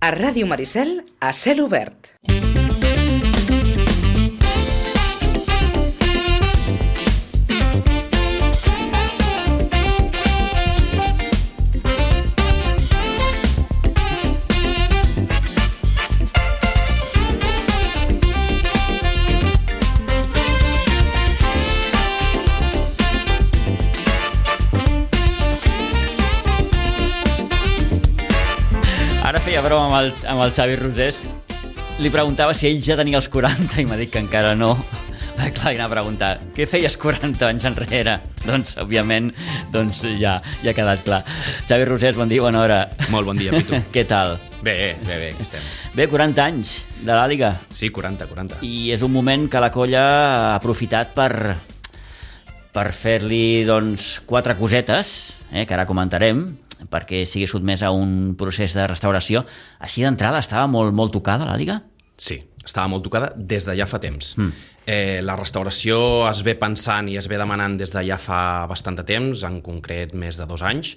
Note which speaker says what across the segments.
Speaker 1: A Ràdio Maricel, a cel obert.
Speaker 2: Ara feia broma amb el Xavi Rosés. Li preguntava si ell ja tenia els 40 i m'ha dit que encara no. Clar, anava a preguntar, què feies 40 anys enrere? Doncs, òbviament, ja ha quedat clar. Xavi Rosés, bon dia, bona hora.
Speaker 3: Molt bon dia, Pitu.
Speaker 2: Què tal?
Speaker 3: Bé, estem.
Speaker 2: Bé, 40 anys de l'Àliga.
Speaker 3: Sí, 40.
Speaker 2: I és un moment que la colla ha aprofitat per fer-li, doncs, 4 cosetes, que ara comentarem, perquè sigui sotmès a un procés de restauració. Així d'entrada estava molt tocada l'Àliga?
Speaker 3: Sí, estava molt tocada des de ja fa temps. La restauració es ve pensant i es ve demanant des de ja fa bastant de temps, en concret més de 2 anys,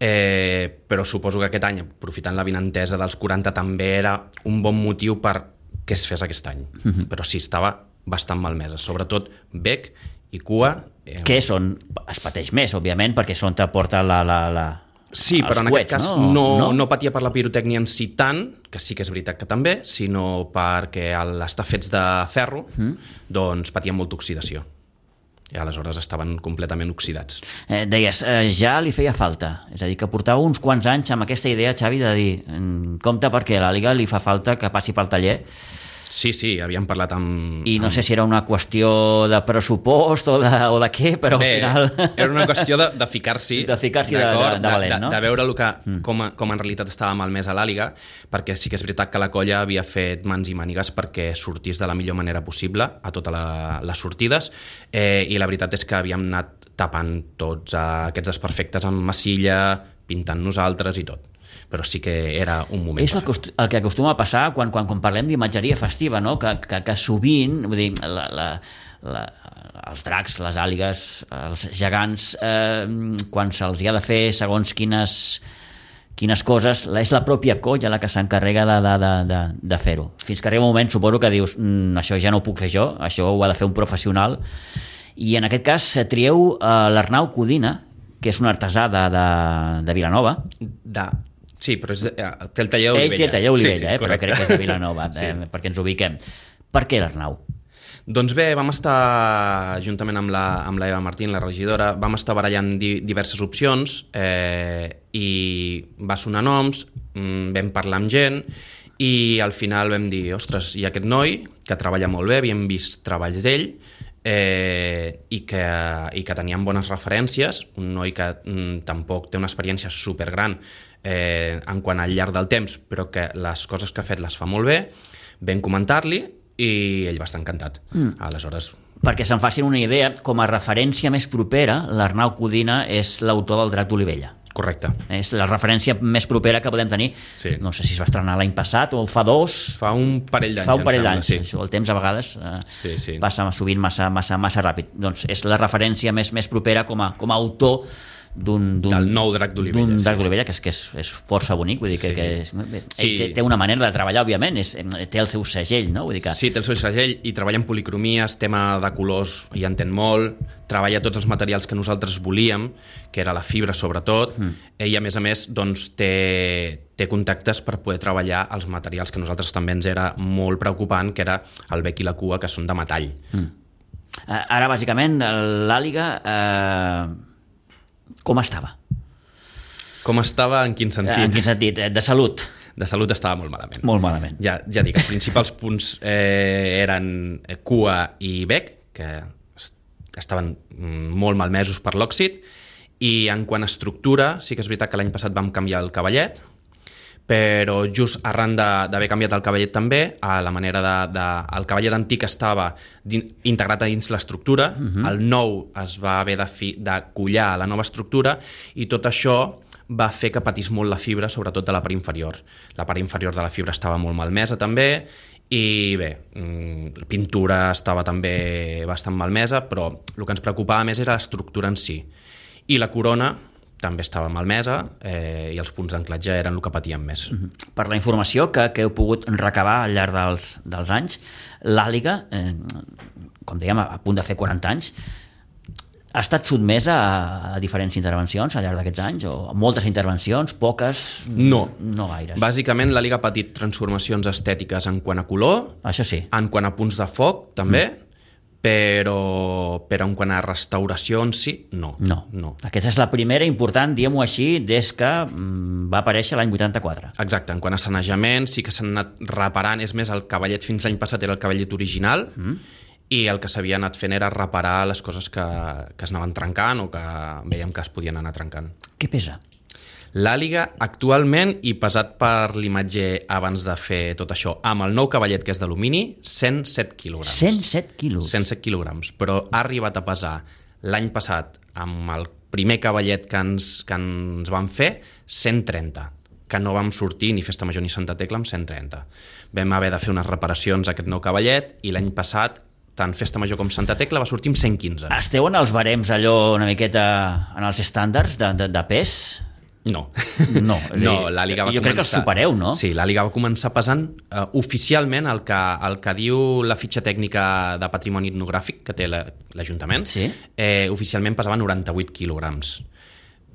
Speaker 3: però suposo que aquest any, aprofitant la vinentesa dels 40, també era un bon motiu per que es fes aquest any. Però sí, estava bastant malmesa, sobretot bec i cua.
Speaker 2: Què són? Es pateix més, òbviament, perquè són te porta
Speaker 3: Sí, però en
Speaker 2: coets,
Speaker 3: aquest cas no patia per la pirotècnia en si tant, que sí que és veritat que també, sinó perquè al estar fets de ferro, doncs patien molta oxidació. I aleshores estaven completament oxidats.
Speaker 2: Deies, ja li feia falta. És a dir, que portava uns quants anys amb aquesta idea, Xavi, de dir, compte perquè a l'Àliga li fa falta que passi pel taller.
Speaker 3: Sí, havíem parlat amb...
Speaker 2: I no sé si era una qüestió de pressupost o de què, però al final...
Speaker 3: Era una qüestió de ficar-s'hi.
Speaker 2: De ficar-s'hi de valent, no?
Speaker 3: De veure com en realitat estava malmès a l'Àliga, perquè sí que és veritat que la colla havia fet mans i mànigues perquè sortís de la millor manera possible a totes les sortides, i la veritat és que havíem anat tapant tots aquests desperfectes amb massilla, pintant nosaltres i tot. Però sí que era un moment.
Speaker 2: És el que acostuma a passar quan parlem d'imatgeria festiva, no? Que sovint, vull dir, els dracs, les àligues, els gegants, quan se'ls ha de fer segons quines coses, és la pròpia colla la que s'encarrega de fer-ho. Fins que arriba un moment, suposo que dius, això ja no ho puc fer jo, això ho ha de fer un professional. I en aquest cas trieu l'Arnau Codina, que és un artesà de Vilanova.
Speaker 3: Sí, però té el taller Olivella.
Speaker 2: Ell té el taller Olivella, però crec que és de Vilanova, perquè ens ubiquem. Per què l'Arnau?
Speaker 3: Doncs bé, vam estar, juntament amb la Eva Martín, la regidora, vam estar barallant diverses opcions i va sonar noms, vam parlar amb gent i al final vam dir, ostres, hi ha aquest noi que treballa molt bé, havíem vist treballs d'ell i que tenien bones referències, un noi que tampoc té una experiència supergran en quant al llarg del temps, però que les coses que ha fet les fa molt bé, vam comentar-li i ell va estar encantat. Aleshores...
Speaker 2: Perquè se'n facin una idea, com a referència més propera, l'Arnau Codina és l'autor del Drac d'Olivella.
Speaker 3: Correcte. És
Speaker 2: la referència més propera que podem tenir. Sí. No sé si es va estrenar l'any passat o fa 2.
Speaker 3: Fa un parell d'anys.
Speaker 2: Fa un parell d'anys. Sí. El temps a vegades passa sovint massa ràpid. Doncs és la referència més propera com a autor del
Speaker 3: nou Drac d'Olivella.
Speaker 2: D'un Drac d'Olivella que és força bonic, vull dir que ell té una manera de treballar, òbviament, té el seu segell, no? Vull dir que...
Speaker 3: Sí, té el seu segell i treballa en policromies, tema de colors hi entén molt, treballa tots els materials que nosaltres volíem, que era la fibra sobretot, i a més doncs, té contactes per poder treballar els materials que nosaltres també ens era molt preocupant, que era el bec i la cua, que són de metall.
Speaker 2: Ara, bàsicament, l'Àliga... Com estava?
Speaker 3: Com estava en quin sentit?
Speaker 2: En quin sentit? De salut?
Speaker 3: De salut estava molt malament.
Speaker 2: Molt malament.
Speaker 3: Ja dic, els principals punts eren cua i bec, que estaven molt malmesos per l'òxid, i en quant a estructura, sí que és veritat que l'any passat vam canviar el cavallet, però just arran d'haver canviat el cavallet també, a la manera el cavallet antic estava integrat a dins l'estructura, el nou es va haver de collar a la nova estructura, i tot això va fer que patís molt la fibra, sobretot de la part inferior. La part inferior de la fibra estava molt malmesa també, i bé, la pintura estava també bastant malmesa, però el que ens preocupava més era l'estructura en si. I la corona, també estava malmesa i els punts d'anclatge eren el que patien més.
Speaker 2: Per la informació que heu pogut recabar al llarg dels anys, l'àliga, com dèiem, a punt de fer 40 anys, ha estat sotmesa a diferents intervencions al llarg d'aquests anys? O moltes intervencions, poques?
Speaker 3: No
Speaker 2: gaires.
Speaker 3: Bàsicament la Liga ha patit transformacions estètiques en quant a color,
Speaker 2: això sí,
Speaker 3: en quant a punts de foc també, però en quant a restauració en si, no.
Speaker 2: Aquesta és la primera important, diguem-ho així, des que va aparèixer l'any 84.
Speaker 3: Exacte, en quant a sanejament sí que s'han anat reparant, és més, el cavallet fins l'any passat era el cavallet original, i el que s'havia anat fent era reparar les coses que es anaven trencant o que veiem que es podien anar trencant.
Speaker 2: Què pesa?
Speaker 3: L'àliga actualment, i pesat per l'imatge abans de fer tot això, amb el nou cavallet que és d'alumini, 107 quilograms.
Speaker 2: 107 quilos?
Speaker 3: 107 quilograms, però ha arribat a pesar l'any passat amb el primer cavallet que ens van fer 130, que no vam sortir ni Festa Major ni Santa Tecla amb 130. Vam haver de fer unes reparacions a aquest nou cavallet i l'any passat tant Festa Major com Santa Tecla va sortir amb 115.
Speaker 2: Esteu en els barems allò una miqueta en els estàndards de pes?
Speaker 3: No, la Liga va
Speaker 2: jo crec que els supereu, no?
Speaker 3: Sí, la Liga va començar pesant oficialment el que diu la fitxa tècnica de patrimoni etnogràfic que té l'Ajuntament, oficialment pesava 98 quilograms,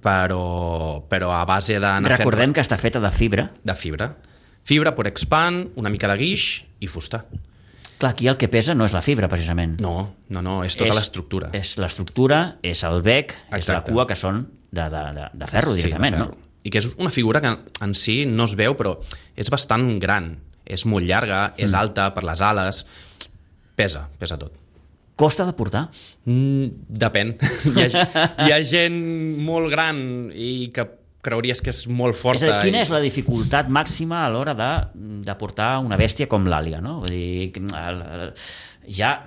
Speaker 3: però a base d'anar fent...
Speaker 2: Recordem que està feta de fibra.
Speaker 3: De fibra. Fibra, porexpan, una mica de guix i fusta.
Speaker 2: Clar, aquí el que pesa no és la fibra, precisament.
Speaker 3: No, és tota l'estructura.
Speaker 2: És l'estructura, és el bec, és la cua, que són de ferro, directament, no?
Speaker 3: I que és una figura que en si no es veu, però és bastant gran. És molt llarga, és alta per les ales, pesa tot.
Speaker 2: Costa de portar?
Speaker 3: Depèn. Hi ha gent molt gran i que creuries que és molt forta.
Speaker 2: És a dir, quina és la dificultat màxima a l'hora de portar una bèstia com l'àliga, no? Vull dir, ja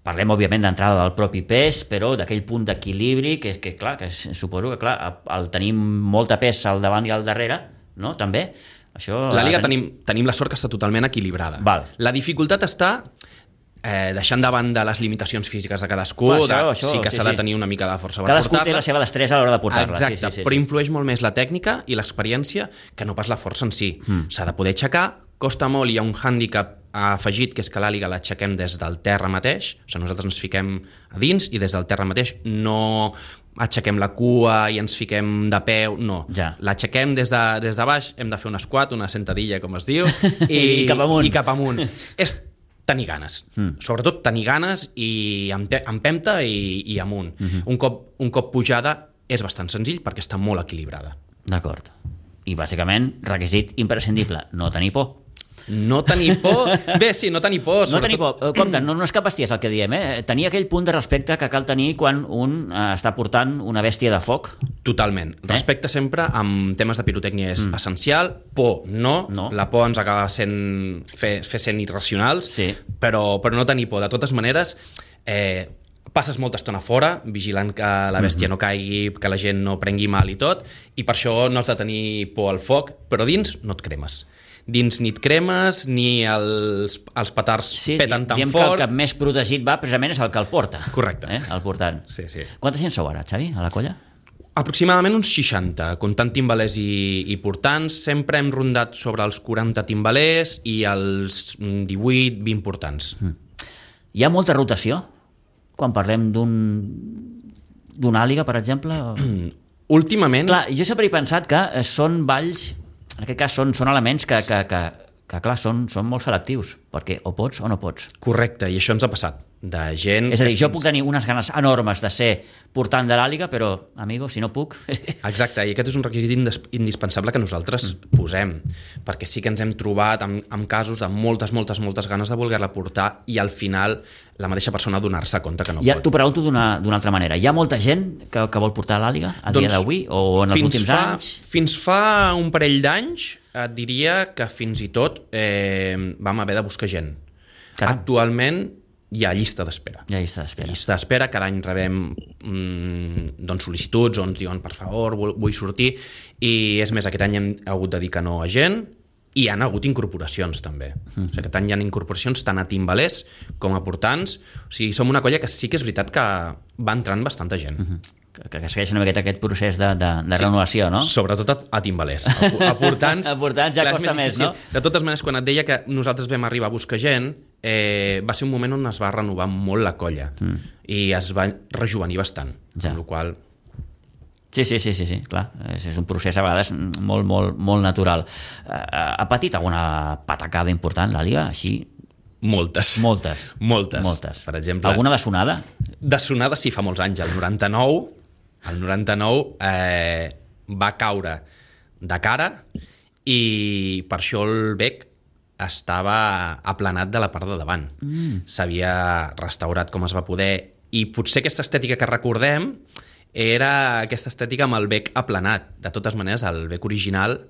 Speaker 2: parlem, òbviament, d'entrada del propi pes, però d'aquell punt d'equilibri que suposo que, al tenir molta pes al davant i al darrere, no? També, això...
Speaker 3: La Liga tenim la sort que està totalment equilibrada.
Speaker 2: Val.
Speaker 3: La dificultat està deixant davant de les limitacions físiques de cadascú, sí que s'ha de tenir una mica de força per portar-la.
Speaker 2: Cadascú té la seva destresa a l'hora de portar-la.
Speaker 3: Exacte, però influeix molt més la tècnica i l'experiència que no pas la força en si. S'ha de poder aixecar, costa molt, hi ha un hàndicap afegit, que és que l'àliga l'aixequem des del terra mateix, o sigui, nosaltres ens fiquem a dins i des del terra mateix no aixequem la cua i ens fiquem de peu, no.
Speaker 2: Ja.
Speaker 3: L'aixequem des de baix, hem de fer un squat, una sentadilla, com es diu,
Speaker 2: I cap amunt.
Speaker 3: És tenir ganes. Sobretot tenir ganes i empenta i amunt. Un cop pujada és bastant senzill perquè està molt equilibrada.
Speaker 2: D'acord. I bàsicament, requisit imprescindible, no tenir por.
Speaker 3: No tenir por? Bé, sí, no tenir por.
Speaker 2: No tenir por. Compte, no és cap bestiesa el que diem, Tenir aquell punt de respecte que cal tenir quan un està portant una bèstia de foc.
Speaker 3: Totalment. Respecte sempre amb temes de pirotècnia és essencial. Por, no. La por ens acaba fer sent irracionals, però no tenir por. De totes maneres, passes molta estona fora, vigilant que la bèstia no caigui, que la gent no prengui mal i tot, i per això no has de tenir por al foc, però dins no et cremes. Dins ni et cremes, ni els petards peten tan fort.
Speaker 2: Que el que més protegit va precisament és el que el porta.
Speaker 3: Correcte.
Speaker 2: El portant.
Speaker 3: Sí.
Speaker 2: Quanta gent sou ara, Xavi, a la colla?
Speaker 3: Aproximadament uns 60, comptant timbalers i portants. Sempre hem rondat sobre els 40 timbalers i els 18-20 portants.
Speaker 2: Hi ha molta rotació? Quan parlem d'una àliga, per exemple?
Speaker 3: Últimament...
Speaker 2: Clar, jo sempre he pensat que són balls, en aquest cas són elements que clar, són molt selectius, perquè o pots o no pots.
Speaker 3: Correcte, i això ens ha passat. De gent...
Speaker 2: És a dir, jo puc tenir unes ganes enormes de ser portant de l'àliga, però, amigo, si no puc...
Speaker 3: Exacte, i aquest és un requisit indispensable que nosaltres posem, perquè sí que ens hem trobat amb casos de moltes ganes de voler-la portar i al final la mateixa persona donar-se compte que no pot.
Speaker 2: T'ho pregunto d'una altra manera. Hi ha molta gent que vol portar l'àliga a dia d'avui o en els últims anys?
Speaker 3: Fins fa un parell d'anys et diria que fins i tot vam haver de buscar gent.
Speaker 2: Caram.
Speaker 3: Actualment hi ha llista d'espera.
Speaker 2: Llista
Speaker 3: d'espera, cada any rebem sol·licituds on ens diuen, per favor, vull sortir, i és més, aquest any hem hagut de dir que no a gent, i hi ha hagut incorporacions també. O sigui, aquest any hi ha incorporacions tant a timbalers com a portants. O sigui, som una colla que sí que és veritat que va entrant bastanta gent.
Speaker 2: que segueix una miqueta aquest procés de renovació, no?
Speaker 3: Sobretot a timbalers. A portants...
Speaker 2: A portants ja costa més, no?
Speaker 3: De totes maneres, quan et deia que nosaltres vam arribar a buscar gent, va ser un moment on es va renovar molt la colla i es va rejuvenir bastant, amb la qual...
Speaker 2: Sí, clar. És un procés a vegades molt natural. Ha patit alguna patacada important la Liga, així?
Speaker 3: Moltes. Per exemple...
Speaker 2: Alguna de sonada?
Speaker 3: De sonada sí, fa molts anys. El 99 va caure de cara i per això el bec estava aplanat de la part de davant. S'havia restaurat com es va poder i potser aquesta estètica que recordem era aquesta estètica amb el bec aplanat. De totes maneres, el bec original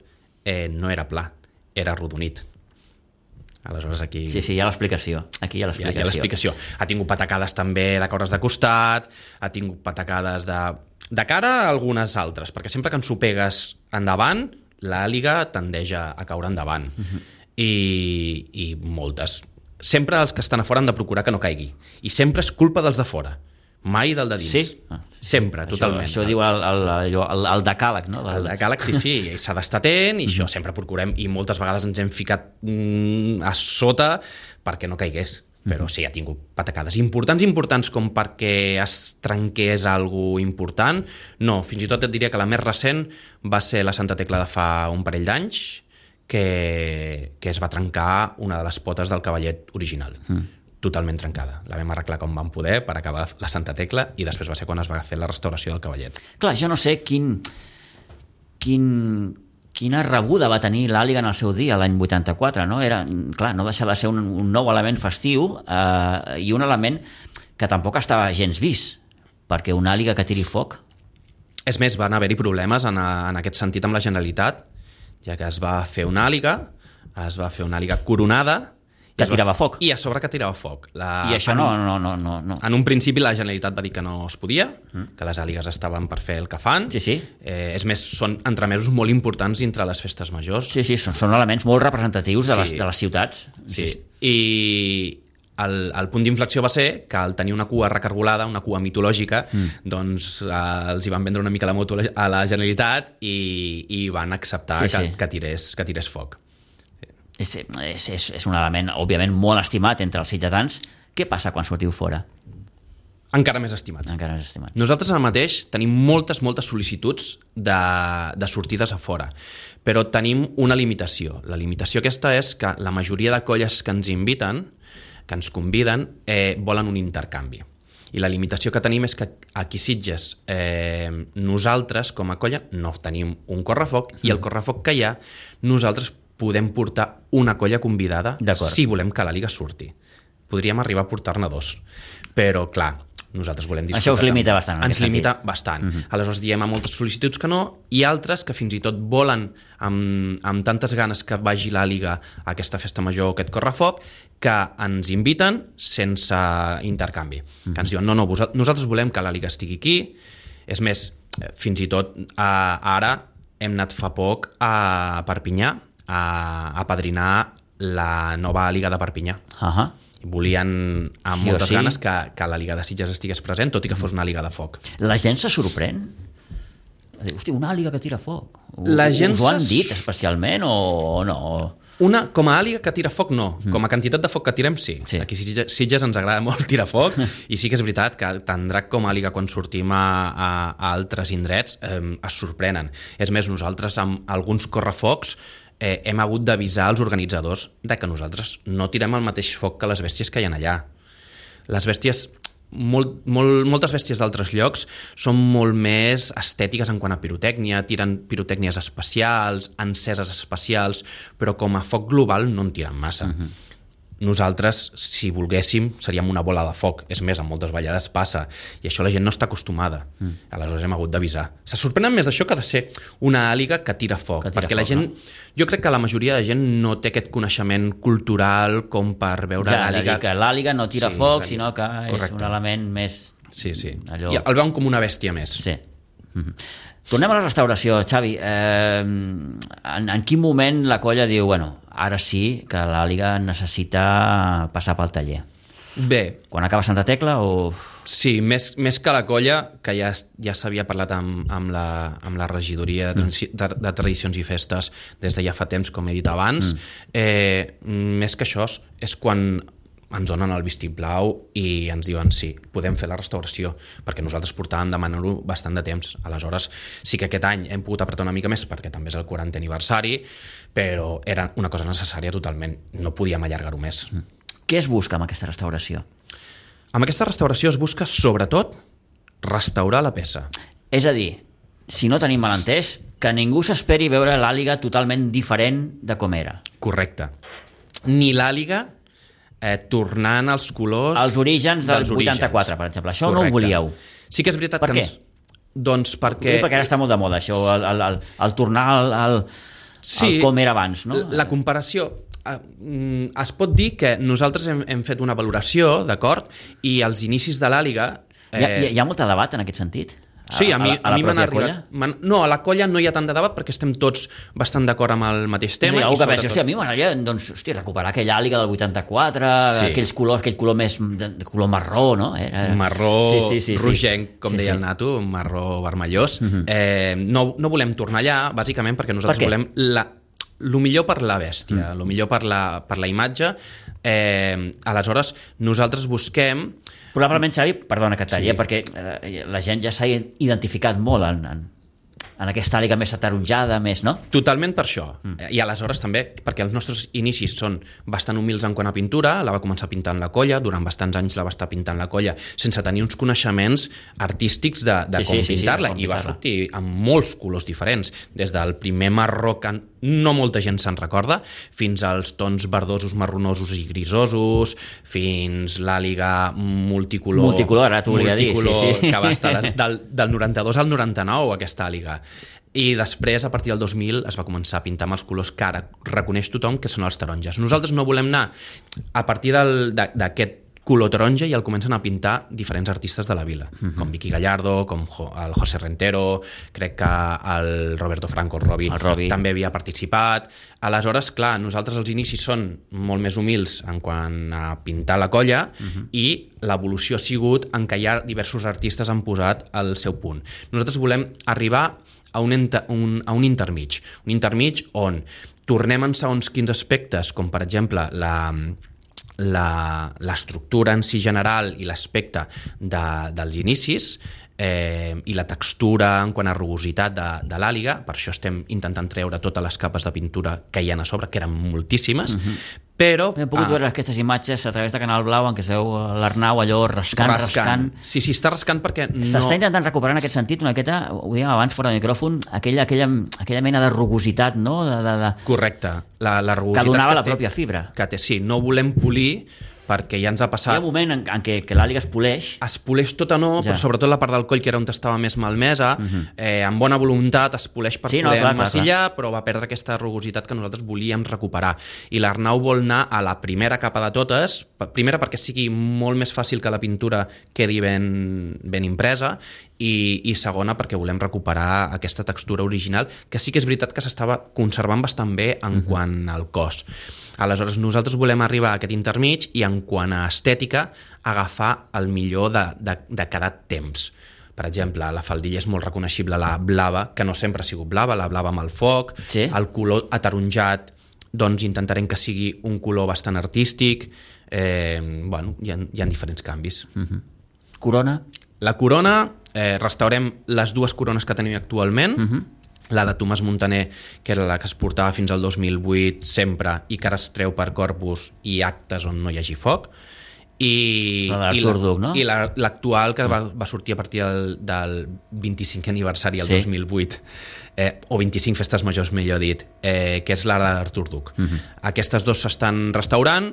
Speaker 3: no era pla, era arrodonit. Aleshores aquí...
Speaker 2: Sí, hi ha l'explicació. Aquí hi ha l'explicació.
Speaker 3: Hi ha l'explicació. Ha tingut patacades també de caures de costat, ha tingut patacades de cara a algunes altres, perquè sempre que ensopegues endavant, l'àliga tendeix a caure endavant. I moltes. Sempre els que estan a fora han de procurar que no caigui. I sempre és culpa dels de fora. Mai del de dins.
Speaker 2: Sí?
Speaker 3: Sempre, totalment.
Speaker 2: Això diu el decàleg, no?
Speaker 3: El decàleg, sí, s'ha d'estar atent i això sempre procurem, i moltes vegades ens hem ficat a sota perquè no caigués. Però sí, ha tingut patacades importants com perquè es trenqués alguna important. No, fins i tot et diria que la més recent va ser la Santa Tecla de fa un parell d'anys, que es va trencar una de les potes del cavallet original. Totalment trencada. La vam arreglar com vam poder per acabar la Santa Tecla i després va ser quan es va fer la restauració del cavallet.
Speaker 2: Clar, jo no sé quina rebuda va tenir l'àliga en el seu dia, l'any 84, no? Clar, no deixava de ser un nou element festiu i un element que tampoc estava gens vist, perquè una àliga que tiri foc...
Speaker 3: És més, van haver-hi problemes en aquest sentit amb la Generalitat, ja que es va fer una àliga coronada,
Speaker 2: que tirava foc.
Speaker 3: I a sobre que tirava foc.
Speaker 2: I això no.
Speaker 3: En un principi la Generalitat va dir que no es podia, que les àligues estaven per fer el que fan.
Speaker 2: Sí.
Speaker 3: És més, són entremesos molt importants dintre les festes majors.
Speaker 2: Sí, són elements molt representatius de les ciutats.
Speaker 3: Sí. I el punt d'inflexió va ser que al tenir una cua recargolada, una cua mitològica, doncs els hi van vendre una mica la moto a la Generalitat i van acceptar que tirés foc.
Speaker 2: És un element, òbviament, molt estimat entre els ciutadans. Què passa quan sortiu fora?
Speaker 3: Encara més estimat. Nosaltres ara mateix tenim moltes sol·licituds de sortides a fora, però tenim una limitació. La limitació aquesta és que la majoria de colles que ens inviten, que ens conviden, volen un intercanvi. I la limitació que tenim és que aquí a Sitges nosaltres, com a colla, no tenim un correfoc i el correfoc que hi ha, nosaltres podem portar una colla convidada si volem que la Liga surti. Podríem arribar a portar-ne 2. Però, clar, nosaltres volem disfrutar.
Speaker 2: Això us limita bastant.
Speaker 3: Ens limita bastant. Aleshores diem a moltes sol·licituds que no, i altres que fins i tot volen amb tantes ganes que vagi la Liga a aquesta festa major, aquest correfoc, que ens inviten sense intercanvi. Que ens diuen, no, nosaltres volem que la Liga estigui aquí. És més, fins i tot ara hem anat fa poc a Perpinyà a apadrinar la nova Liga de Perpinyà. Volien amb moltes ganes que la Liga de Sitges estigués present, tot i que fos una Liga de foc.
Speaker 2: La gent se sorprèn? Hosti, una Liga que tira foc. Us ho han dit especialment o no?
Speaker 3: Com a àliga que tira foc, no. Com a quantitat de foc que tirem, sí. Aquí a Sitges ens agrada molt tirar foc i sí que és veritat que tant Drac com àliga quan sortim a altres indrets es sorprenen. És més, nosaltres amb alguns correfocs hem hagut d'avisar els organitzadors de que nosaltres no tirem el mateix foc que les bèsties que hi ha allà. Les bèsties, moltes bèsties d'altres llocs són molt més estètiques en quant a pirotècnia, tiren pirotècnies especials, enceses especials, però com a foc global no en tiren massa. Nosaltres, si volguéssim, seríem una bola de foc. És més, en moltes ballades passa. I això la gent no està acostumada. Aleshores hem hagut d'avisar. Se sorprenen més d'això que de ser una àliga que tira foc. Perquè la gent... Jo crec que la majoria de gent no té aquest coneixement cultural com per veure l'àliga...
Speaker 2: que l'àliga no tira foc, sinó que és un element més...
Speaker 3: Sí. I el veuen com una bèstia més.
Speaker 2: Sí. Tornem a la restauració, Xavi. En quin moment la colla diu, bueno, ara sí que l'àliga necessita passar pel taller?
Speaker 3: Bé,
Speaker 2: Quan acaba Santa Tecla o...
Speaker 3: sí, més que la colla, que ja s'havia parlat amb la regidoria de tradicions i festes des de ja fa temps, com he dit abans, més que això és quan ens donen el vistiplau i ens diuen sí, podem fer la restauració, perquè nosaltres portàvem demanant-ho bastant de temps. Aleshores, sí que aquest any hem pogut apretar una mica més perquè també és el 40è aniversari, però era una cosa necessària totalment, no podíem allargar-ho més.
Speaker 2: Què es busca amb aquesta restauració?
Speaker 3: Amb aquesta restauració es busca, sobretot, restaurar la peça.
Speaker 2: És a dir, si no tenim malentès, que ningú s'esperi veure l'àliga totalment diferent de com era.
Speaker 3: Correcte. Ni l'àliga tornant als colors...
Speaker 2: Els orígens del 84, per exemple. Això no ho volíeu.
Speaker 3: Sí que és veritat
Speaker 2: per
Speaker 3: que...
Speaker 2: què?
Speaker 3: Doncs perquè...
Speaker 2: Perquè ara està molt de moda, això, el tornar al com era abans, no?
Speaker 3: La comparació... Es pot dir que nosaltres hem fet una valoració, d'acord? I als inicis de l'àliga...
Speaker 2: Hi ha molt de debat en aquest sentit?
Speaker 3: Sí, a mi m'han arribat...
Speaker 2: Colla?
Speaker 3: No, a la colla no hi ha tant de debat perquè estem tots bastant d'acord amb el mateix tema.
Speaker 2: Algú que pensa, a mi m'agradaria recuperar aquella àliga del 84, aquell color més de color marró, no?
Speaker 3: Marró rogenc, com deia el Nato, marró vermellós. No volem tornar allà, bàsicament perquè nosaltres volem el millor per la bèstia, el millor per la imatge. Aleshores, nosaltres busquem...
Speaker 2: Probablement, Xavi, perdona que et talli, perquè la gent ja s'ha identificat molt en aquesta àliga més ataronjada, més, no?
Speaker 3: Totalment per això. I aleshores també, perquè els nostres inicis són bastant humils en quant a pintura, la va començar pintant la colla, durant bastants anys la va estar pintant la colla, sense tenir uns coneixements artístics de com pintar-la, i va sortir amb molts colors diferents, des del primer marró que no molta gent se'n recorda, fins als tons verdosos, marronosos i grisosos, fins l'àliga multicolor,
Speaker 2: ara t'ho volia dir,
Speaker 3: que va estar del 92 al 99, aquesta àliga. I després, a partir del 2000, es va començar a pintar amb els colors que ara reconeix tothom que són els taronges. Nosaltres no volem anar a partir d'aquest color taronja i el comencen a pintar diferents artistes de la vila, com Vicky Gallardo, com el José Rentero, crec que el Roberto Franco, el Robi, també havia participat. Aleshores, clar, nosaltres els inicis són molt més humils en quant a pintar la colla i l'evolució ha sigut en què ja diversos artistes han posat el seu punt. Nosaltres volem arribar a un intermig on tornem en segons quins aspectes, com per exemple l'estructura en si general i l'aspecte dels inicis i la textura en quant a rugositat de l'àliga. Per això estem intentant treure totes les capes de pintura que hi ha a sobre, que eren moltíssimes, però...
Speaker 2: Hem pogut veure aquestes imatges a través de Canal Blau en què es veu l'Arnau allò rascant.
Speaker 3: Sí, està rascant perquè no...
Speaker 2: S'està intentant recuperar en aquest sentit una miqueta, ho dèiem abans fora de micròfon, aquella mena de rugositat, no?
Speaker 3: Correcte. La rugositat
Speaker 2: que donava la pròpia fibra.
Speaker 3: Sí, no volem polir perquè ja ens ha passat...
Speaker 2: Hi ha un moment en què l'àliga es poleix.
Speaker 3: Es poleix tota no, però sobretot la part del coll, que era on estava més malmesa, amb bona voluntat es poleix per poder massillar, però va perdre aquesta rugositat que nosaltres volíem recuperar. I l'Arnau vol anar a la primera capa de totes, primera perquè sigui molt més fàcil que la pintura quedi ben impresa, i segona perquè volem recuperar aquesta textura original, que sí que és veritat que s'estava conservant bastant bé en quant al cos. Aleshores, nosaltres volem arribar a aquest intermig i, en quant a estètica, agafar el millor de cada temps. Per exemple, la faldilla és molt reconeixible, la blava, que no sempre ha sigut blava, la blava amb el foc, el color ataronjat, doncs intentarem que sigui un color bastant artístic. Hi ha diferents canvis.
Speaker 2: Corona?
Speaker 3: La corona, restaurem les dues corones que tenim actualment, la de Tomàs Montaner, que era la que es portava fins al 2008 sempre i que ara es treu per Corpus i actes on no hi hagi foc, i l'actual que va sortir a partir del 25è aniversari el 2008, o 25 festes majors, millor dit, que és la d'Artur Duc. Aquestes dues s'estan restaurant.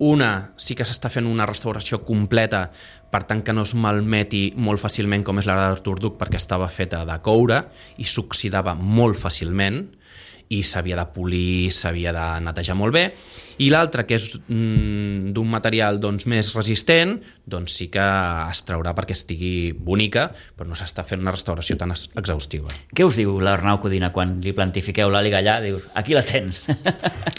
Speaker 3: Una sí que s'està fent una restauració completa, per tant que no es malmeti molt fàcilment, com és la d'Artur Duc, perquè estava feta de coure i s'oxidava molt fàcilment i s'havia de polir, s'havia de netejar molt bé. I l'altre, que és d'un material doncs, més resistent, doncs sí que es traurà perquè estigui bonica, però no s'està fent una restauració tan exhaustiva.
Speaker 2: Què us diu l'Arnau Codina quan li plantifiqueu l'àliga allà? Dius, aquí la tens.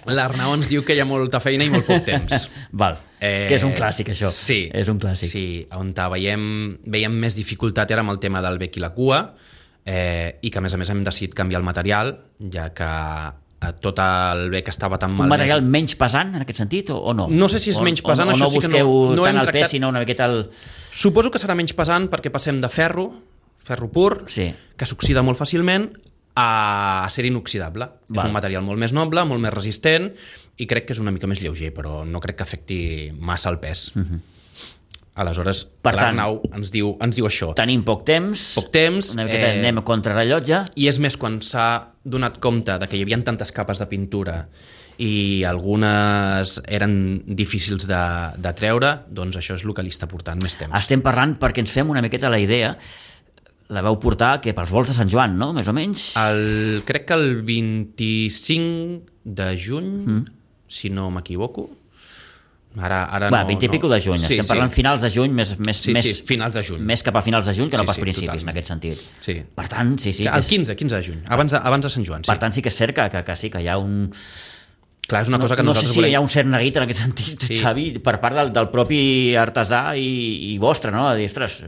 Speaker 3: L'Arnau ens diu que hi ha molta feina i molt poc temps.
Speaker 2: Val, que és un clàssic, això.
Speaker 3: Sí,
Speaker 2: és un clàssic.
Speaker 3: Sí, on veiem més dificultat era amb el tema del bec i la cua, i que a més hem decidit canviar el material, ja que tot el bec estava tan malmès.
Speaker 2: Un material menys pesant, en aquest sentit, o no?
Speaker 3: No sé si és menys pesant,
Speaker 2: això sí que no. O no busqueu tant el pes, sinó una miqueta el...
Speaker 3: Suposo que serà menys pesant perquè passem de ferro pur,
Speaker 2: sí,
Speaker 3: que s'oxida molt fàcilment, a ser inoxidable. Val. És un material molt més noble, molt més resistent, i crec que és una mica més lleuger, però no crec que afecti massa el pes. Aleshores, l'Arnau ens diu això.
Speaker 2: Tenim poc temps, una miqueta anem a contrarrellotge.
Speaker 3: I és més quan s'ha donat compte de que hi havia tantes capes de pintura i algunes eren difícils de treure, doncs això és el que li està portant més temps.
Speaker 2: Estem parlant perquè ens fem una miqueta la idea. La vau portar que pels vols de Sant Joan, no? Més o menys?
Speaker 3: Crec que el 25 de juny, si no m'equivoco. Ara
Speaker 2: 20 i pico de juny. Estem parlant finals de juny, més
Speaker 3: finals de juny.
Speaker 2: Més cap a finals de juny que no pas principis, totalment. En aquest sentit.
Speaker 3: Sí.
Speaker 2: Per tant, sí.
Speaker 3: El 15 de juny, abans de Sant Joan.
Speaker 2: Per tant, sí que és cert que sí, que hi ha un...
Speaker 3: Clar, és una cosa que nosaltres
Speaker 2: volem... No sé si hi ha un cert neguit en aquest sentit, Xavi, per part del propi artesà i vostre, no? De dir, ostres...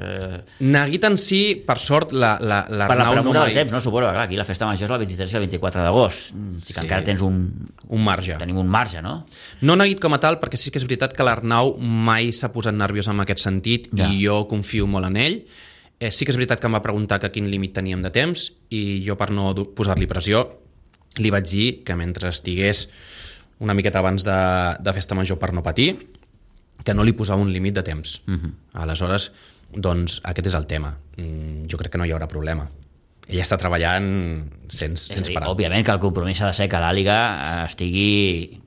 Speaker 3: Neguit en si, per sort, l'Arnau...
Speaker 2: Per la premura del temps, no? Suposo que clar, aquí la festa major és el 23 i el 24 d'agost. Sí que encara tens un
Speaker 3: marge.
Speaker 2: Tenim un marge, no?
Speaker 3: No neguit com a tal, perquè sí que és veritat que l'Arnau mai s'ha posat nerviós en aquest sentit i jo confio molt en ell. Sí que és veritat que em va preguntar que quin límit teníem de temps i jo, per no posar-li pressió, li vaig dir que mentre estigués una miqueta abans de festa major per no patir, que no li posava un límit de temps. Aleshores, doncs, aquest és el tema. Jo crec que no hi haurà problema. Ella està treballant sense parar.
Speaker 2: Òbviament que el compromís ha de ser que l'àliga estigui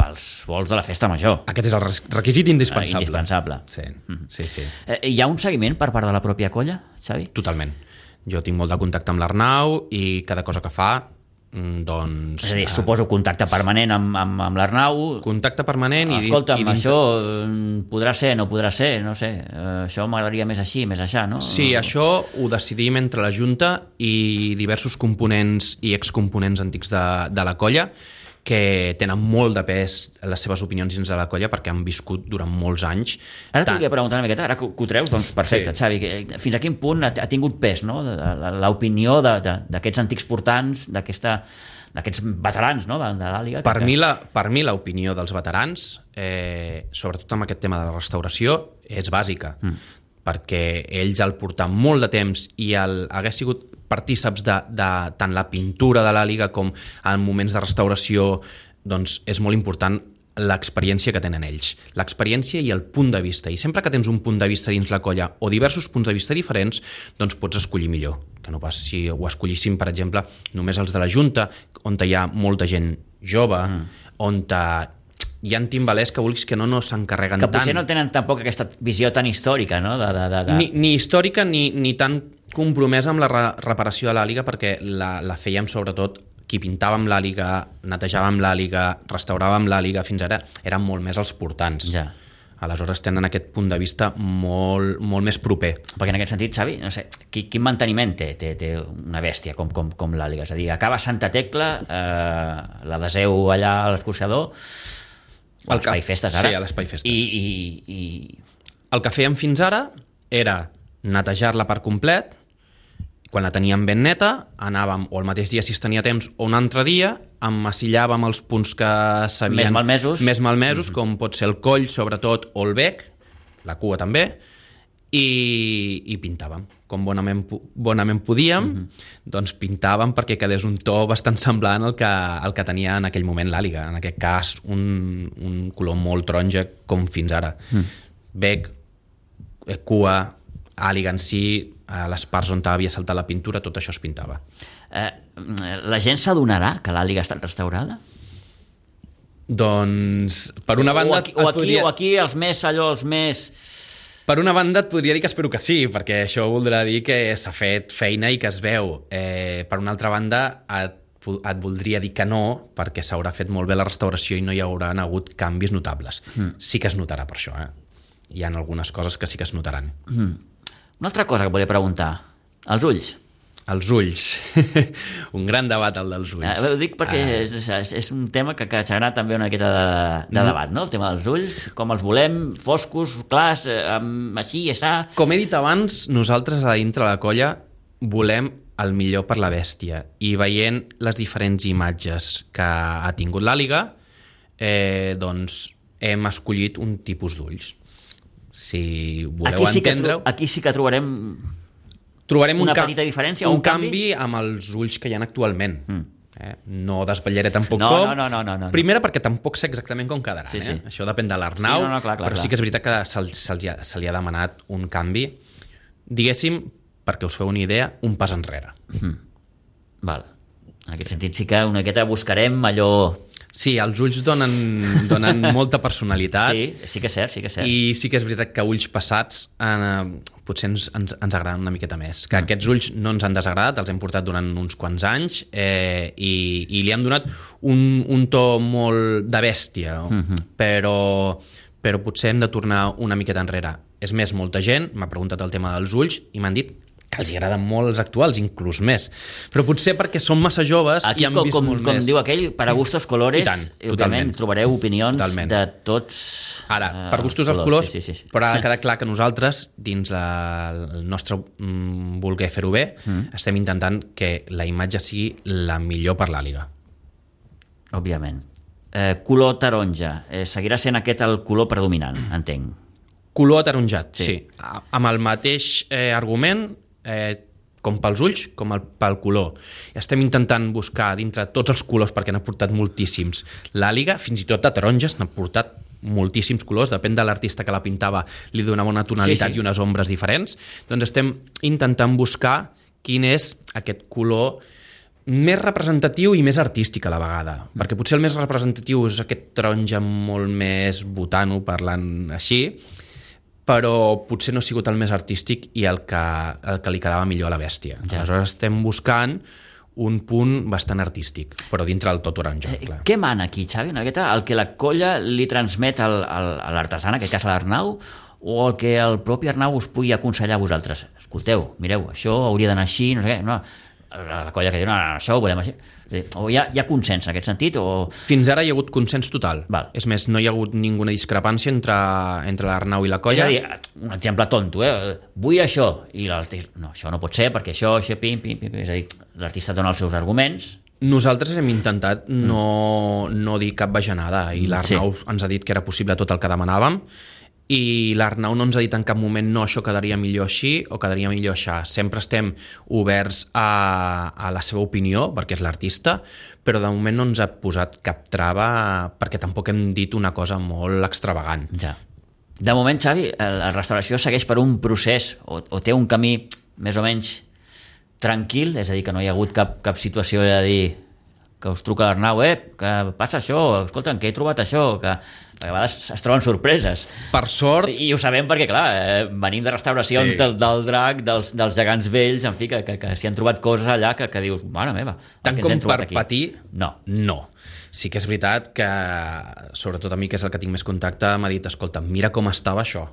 Speaker 2: pels vols de la festa major.
Speaker 3: Aquest és el requisit indispensable.
Speaker 2: Indispensable.
Speaker 3: Sí.
Speaker 2: Hi ha un seguiment per part de la pròpia colla, Xavi?
Speaker 3: Totalment. Jo tinc molt de contacte amb l'Arnau i cada cosa que fa, doncs...
Speaker 2: És a dir, suposo contacte permanent amb l'Arnau.
Speaker 3: Contacte permanent i...
Speaker 2: Escolta'm, això podrà ser, no podrà ser, no sé. Això m'agradaria més així, més aixà, no?
Speaker 3: Sí, això ho decidim entre la Junta i diversos components i excomponents antics de la colla, que tenen molt de pes les seves opinions dins de la colla perquè han viscut durant molts anys.
Speaker 2: Ara t'ho volia preguntar una miqueta, ara que ho treus, doncs perfecte, sí. Xavi, fins a quin punt ha tingut pes, no? L'opinió d'aquests antics portants, d'aquests veterans, no? De l'àliga?
Speaker 3: Per mi l'opinió dels veterans, sobretot amb aquest tema de la restauració, és bàsica, perquè ells al portar molt de temps i hagués sigut partíceps de tant la pintura de l'àliga com en moments de restauració, doncs és molt important l'experiència que tenen ells. L'experiència i el punt de vista. I sempre que tens un punt de vista dins la colla o diversos punts de vista diferents, doncs pots escollir millor. Que no pas si ho escollissin, per exemple, només els de la Junta, on hi ha molta gent jove, on hi ha timbalers que vulguis que no s'encarreguen tant.
Speaker 2: Que potser no tenen tampoc aquesta visió tan històrica, no?
Speaker 3: Ni històrica ni tan compromesa amb la reparació de l'àliga, perquè la fèiem sobretot qui pintàvem l'àliga, netejàvem l'àliga, restauràvem l'àliga, fins ara eren molt més els portants.
Speaker 2: Ja.
Speaker 3: Aleshores tenen aquest punt de vista molt més proper.
Speaker 2: Perquè en aquest sentit, Xavi, no sé, quin manteniment té una bèstia com l'àliga? És a dir, acaba Santa Tecla, la deseu allà a l'escorxador, a l'Espai Festes ara.
Speaker 3: Sí, a l'Espai Festes.
Speaker 2: I
Speaker 3: el que fèiem fins ara era netejar-la per complet. Quan la teníem ben neta, anàvem o el mateix dia si es tenia temps o un altre dia, emmassillàvem els punts que s'havien... Més malmesos, com pot ser el coll, sobretot, o el bec, la cua també, i pintàvem. Com bonament podíem, doncs pintàvem perquè quedés un to bastant semblant al que tenia en aquell moment l'àliga. En aquest cas, un color molt taronja com fins ara. Bec, cua, àliga en si, a les parts on havia saltat la pintura, tot això es pintava.
Speaker 2: La gent s'adonarà que l'àliga ha estat restaurada?
Speaker 3: Doncs, per una banda...
Speaker 2: O aquí els més...
Speaker 3: Per una banda et podria dir que espero que sí, perquè això voldrà dir que s'ha fet feina i que es veu. Per una altra banda, et et voldria dir que no, perquè s'haurà fet molt bé la restauració i no hi haurà hagut canvis notables. Sí que es notarà per això, Hi ha algunes coses que sí que es notaran.
Speaker 2: Una altra cosa que volia preguntar. Els ulls.
Speaker 3: Els ulls. Un gran debat, el dels ulls.
Speaker 2: Ho dic perquè és un tema que generarà també una miqueta de debat, no? El tema dels ulls, com els volem, foscos, clars, així, aixà...
Speaker 3: Com he dit abans, nosaltres a dintre la colla volem el millor per la bèstia, i veient les diferents imatges que ha tingut l'àliga, doncs hem escollit un tipus d'ulls. Si voleu entendre-ho...
Speaker 2: Aquí sí que trobarem una petita diferència,
Speaker 3: un canvi amb els ulls que hi ha actualment. No desvetllaré tampoc com.
Speaker 2: No.
Speaker 3: Primera, perquè tampoc sé exactament com quedaran.
Speaker 2: Sí.
Speaker 3: Això depèn de l'Arnau,
Speaker 2: clar.
Speaker 3: Sí que és veritat que se li ha demanat un canvi. Diguéssim, perquè us feu una idea, un pas enrere.
Speaker 2: Val. En aquest sentit sí que una miqueta buscarem allò...
Speaker 3: Sí, els ulls donen molta personalitat.
Speaker 2: Sí que és cert.
Speaker 3: I sí que és veritat que ulls passats potser ens agraden una miqueta més. Que aquests ulls no ens han desagradat, els hem portat durant uns quants anys i li hem donat un to molt de bèstia, però potser hem de tornar una miqueta enrere. És més, molta gent m'ha preguntat el tema dels ulls i m'han dit que els agraden molt els actuals, inclús més. Però potser perquè són massa joves i han vist molt més.
Speaker 2: Com diu aquell, para gustos colores,
Speaker 3: totalment.
Speaker 2: Trobareu opinions de tots.
Speaker 3: Ara, per gustos els colors,
Speaker 2: sí.
Speaker 3: però ha de quedar clar que nosaltres, dins el nostre voler fer-ho bé, estem intentant que la imatge sigui la millor per l'àliga.
Speaker 2: Òbviament. Color taronja. Seguirà sent aquest el color predominant, entenc.
Speaker 3: Color ataronjat, sí. Amb el mateix argument, com pels ulls, com pel color. Estem intentant buscar dintre tots els colors, perquè n'ha portat moltíssims. L'àliga, fins i tot de taronges, n'ha portat moltíssims colors, depèn de l'artista que la pintava, li donava una tonalitat i unes ombres diferents. Doncs estem intentant buscar quin és aquest color més representatiu i més artístic a la vegada, perquè potser el més representatiu és aquest taronja molt més botano, parlant així, però potser no ha sigut el més artístic i el que li quedava millor a la bèstia. Aleshores estem buscant un punt bastant artístic, però dintre del tot taronja.
Speaker 2: Què mana aquí, Xavi? El que la colla li transmet a l'artesà, en aquest cas a l'Arnau, o el que el propi Arnau us pugui aconsellar a vosaltres? Escolteu, mireu, això hauria d'anar així, no sé què, no... La colla que diu, no, això ho volem així. O hi ha consens en aquest sentit?
Speaker 3: Fins ara hi ha hagut consens total.
Speaker 2: Val.
Speaker 3: És més, no hi ha hagut ninguna discrepància entre l'Arnau i la colla.
Speaker 2: És a dir, un exemple tonto, vull això, i l'artista, no, això no pot ser, perquè això, pim. És a dir, l'artista dona els seus arguments.
Speaker 3: Nosaltres hem intentat no dir cap bajanada, i l'Arnau ens ha dit que era possible tot el que demanàvem, i l'Arnau no ens ha dit en cap moment no, això quedaria millor així o quedaria millor així. Sempre estem oberts a la seva opinió, perquè és l'artista, però de moment no ens ha posat cap trava, perquè tampoc hem dit una cosa molt extravagant.
Speaker 2: Ja. De moment, Xavi, la restauració segueix per un procés o té un camí més o menys tranquil, és a dir, que no hi ha hagut cap situació de dir que us truca l'Arnau, que passa això, escolta, què he trobat això, que a vegades es troben sorpreses.
Speaker 3: Per sort...
Speaker 2: I ho sabem perquè, clar, venim de restauracions del drac, dels gegants vells, en fi, que s'hi han trobat coses allà que dius, mare meva,
Speaker 3: tant com per patir,
Speaker 2: no.
Speaker 3: Sí que és veritat que, sobretot a mi, que és el que tinc més contacte, m'ha dit, escolta, mira com estava això,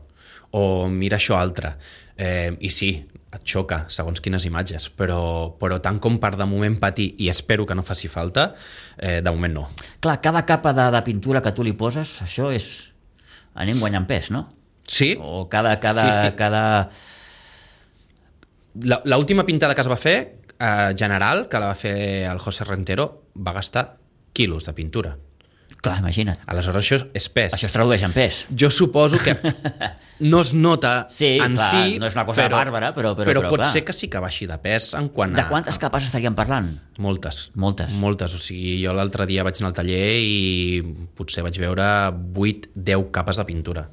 Speaker 3: o mira això altre. I sí, et xoca, segons quines imatges, però tant com per de moment patir, i espero que no faci falta, de moment no.
Speaker 2: Clar, cada capa de pintura que tu li poses, això és... anem guanyant pes, no?
Speaker 3: Sí.
Speaker 2: O cada...
Speaker 3: L'última pintada que es va fer, general, que la va fer el José Rentero, va gastar quilos de pintura.
Speaker 2: Clar, imagina't.
Speaker 3: Aleshores això és pes.
Speaker 2: Això es tradueix en pes.
Speaker 3: Jo suposo que no es nota en
Speaker 2: clar,
Speaker 3: si...
Speaker 2: no és una cosa bàrbara, però
Speaker 3: pot
Speaker 2: clar.
Speaker 3: ser que sí que baixi de pes en quant a...
Speaker 2: De quantes capes estaríem parlant?
Speaker 3: Moltes. O sigui, jo l'altre dia vaig anar al taller i potser vaig veure 8-10 capes de pintura.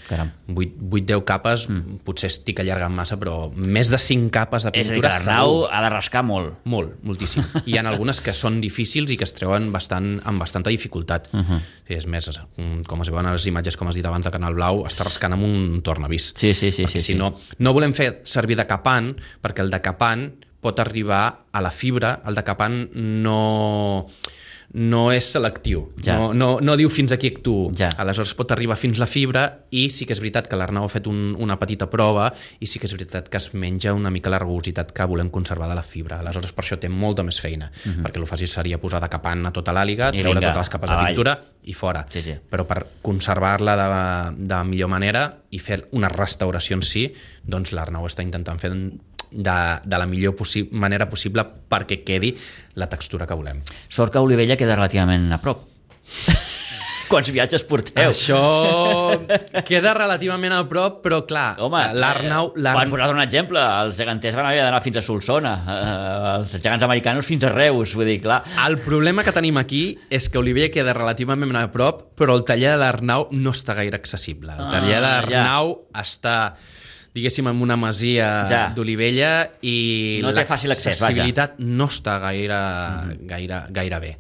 Speaker 2: Caram.
Speaker 3: 8-10 capes, potser estic allargant massa, però més de 5 capes de pintura...
Speaker 2: És a dir, que l'Arnau ha de rascar molt.
Speaker 3: Moltíssim. Hi ha algunes que són difícils i que es treuen amb bastanta dificultat. Sí, és més, com es veuen a les imatges, com has dit abans, de Canal Blau, està rascant amb un tornavís.
Speaker 2: Sí.
Speaker 3: Si no volem fer servir de capant, perquè el de capant pot arribar a la fibra, el decapant no és selectiu, no diu fins aquí actuo, aleshores pot arribar fins la fibra i sí que és veritat que l'Arnau ha fet una petita prova i sí que és veritat que es menja una mica la rugositat que volem conservar de la fibra, aleshores per això té molta més feina, perquè el fàcil seria posar decapant a tota l'àliga, treure totes les capes de pintura i fora, però per conservar-la de millor manera i fer una restauració en si, doncs l'Arnau està intentant fer de la millor manera possible perquè quedi la textura que volem.
Speaker 2: Sort que Olivella queda relativament a prop. Quants viatges porteu?
Speaker 3: Això queda relativament a prop, però clar, l'Arnau...
Speaker 2: Per posar un exemple, els geganters van haver d'anar fins a Solsona, els gegants americanos fins a Reus, vull dir, clar.
Speaker 3: El problema que tenim aquí és que Olivella queda relativament a prop, però el taller de l'Arnau no està gaire accessible. El taller de l'Arnau està... diguéssim, en una masia d'Olivella i l'accessibilitat no està gaire bé.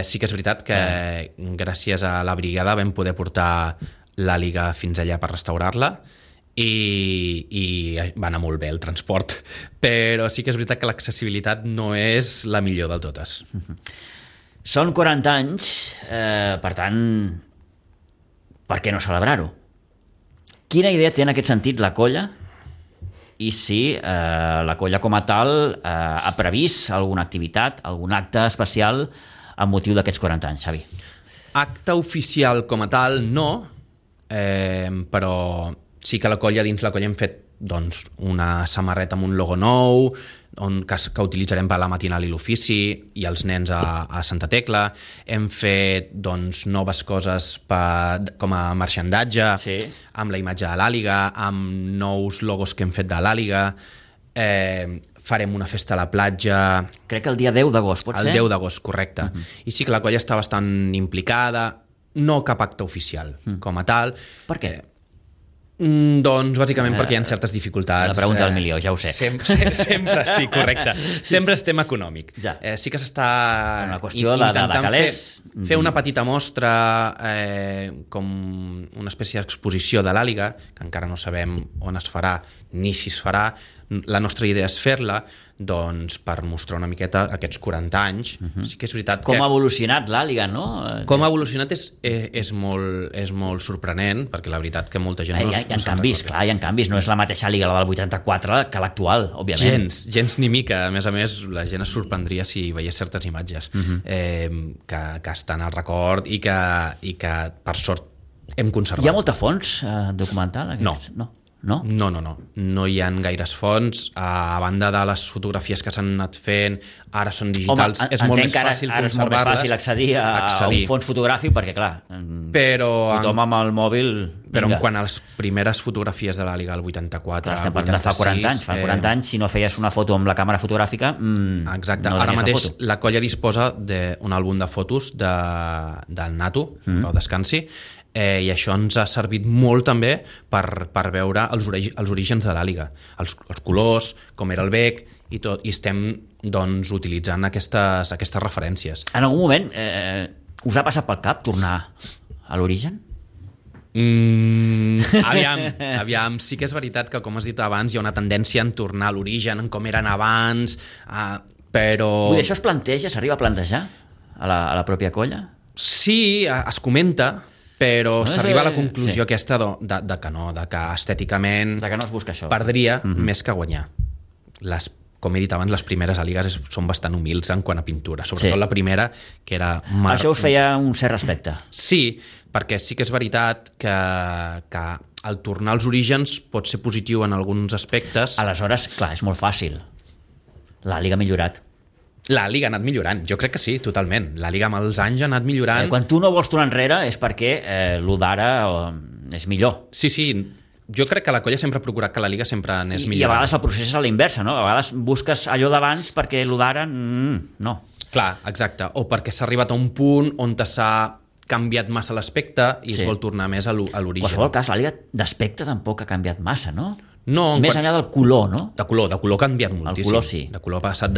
Speaker 3: Sí que és veritat que gràcies a la brigada vam poder portar l'àliga fins allà per restaurar-la i va anar molt bé el transport, però sí que és veritat que l'accessibilitat no és la millor de totes.
Speaker 2: Són 40 anys, per tant, per què no celebrar-ho? Quina idea té en aquest sentit la colla i si la colla com a tal ha previst alguna activitat, algun acte especial amb motiu d'aquests 40 anys, Xavi?
Speaker 3: Acte oficial com a tal no, però sí que dins la colla hem fet una samarreta amb un logo nou que utilitzarem per la matinal i l'ofici i els nens a Santa Tecla. Hem fet noves coses com a marxandatge, amb la imatge de l'àliga, amb nous logos que hem fet de l'àliga. Farem una festa a la platja...
Speaker 2: Crec que el dia 10 d'agost, pot ser?
Speaker 3: El 10 d'agost, correcte. I sí que la colla està bastant implicada, no cap acte oficial com a tal.
Speaker 2: Per què?
Speaker 3: Doncs bàsicament perquè hi ha certes dificultats.
Speaker 2: La pregunta del milió, ja ho sé.
Speaker 3: Sempre sí, correcte. Sempre és tema econòmic. Sí que s'està intentant fer una petita mostra com una espècie d'exposició de l'àliga, que encara no sabem on es farà ni si es farà. La nostra idea és fer-la per mostrar una miqueta aquests 40 anys. Sí que és veritat que...
Speaker 2: Com ha evolucionat l'àliga, no?
Speaker 3: Com ha evolucionat és molt sorprenent, perquè la veritat que molta gent...
Speaker 2: Hi ha canvis, clar, hi ha canvis. No és la mateixa àliga, la del 84, que l'actual, òbviament.
Speaker 3: Gens ni mica. A més, la gent es sorprendria si veiés certes imatges que estan al record i que per sort hem conservat.
Speaker 2: Hi ha molta fons documental?
Speaker 3: No. No? No hi ha gaires fonts. A banda de les fotografies que s'han anat fent, ara són digitals, és molt més fàcil conservar-les.
Speaker 2: Ara és molt més fàcil accedir a un fons fotogràfic perquè, clar, tothom amb el mòbil...
Speaker 3: Però quan a les primeres fotografies de l'àliga, el 84,
Speaker 2: estem parlant de fa 40 anys. Fa 40 anys, si no feies una foto amb la càmera fotogràfica,
Speaker 3: exacte. Ara mateix la colla disposa d'un àlbum de fotos del Nato, Pau Descansi, i això ens ha servit molt també per veure els orígens de l'àliga, els colors, com era el bec i tot, i estem utilitzant aquestes referències.
Speaker 2: En algun moment us ha passat pel cap tornar a l'origen?
Speaker 3: Aviam, sí que és veritat que, com has dit abans, hi ha una tendència a tornar a l'origen, en com eren abans, però...
Speaker 2: Vull dir, això es planteja, s'arriba a plantejar a la pròpia colla?
Speaker 3: Sí, es comenta, però s'arriba a la conclusió aquesta de que no, de que estèticament
Speaker 2: de que no es busca això.
Speaker 3: Perdria més que guanyar. Com he dit abans, les primeres àligues són bastant humils en quant a pintura, sobretot la primera, que era...
Speaker 2: Això us feia un cert respecte.
Speaker 3: Sí, perquè sí que és veritat que el tornar als orígens pot ser positiu en alguns aspectes.
Speaker 2: Aleshores, clar, és molt fàcil. L'àliga ha millorat.
Speaker 3: La Liga ha anat millorant, jo crec que sí, totalment. La Liga amb els anys ha anat millorant.
Speaker 2: Quan tu no vols tornar enrere és perquè l'1 d'ara és millor.
Speaker 3: Sí, jo crec que la colla sempre ha procurat que la Liga sempre anés millor.
Speaker 2: I a vegades el procés és a la inversa, no? A vegades busques allò d'abans perquè l'1 d'ara, no.
Speaker 3: Clar, exacte. O perquè s'ha arribat a un punt on s'ha canviat massa l'aspecte i es vol tornar més a l'origen.
Speaker 2: En qualsevol cas, la Liga d'aspecte tampoc ha canviat massa, no?
Speaker 3: No,
Speaker 2: més enllà del color, no?
Speaker 3: De color ha canviat moltíssim.
Speaker 2: El color sí.
Speaker 3: De color ha passat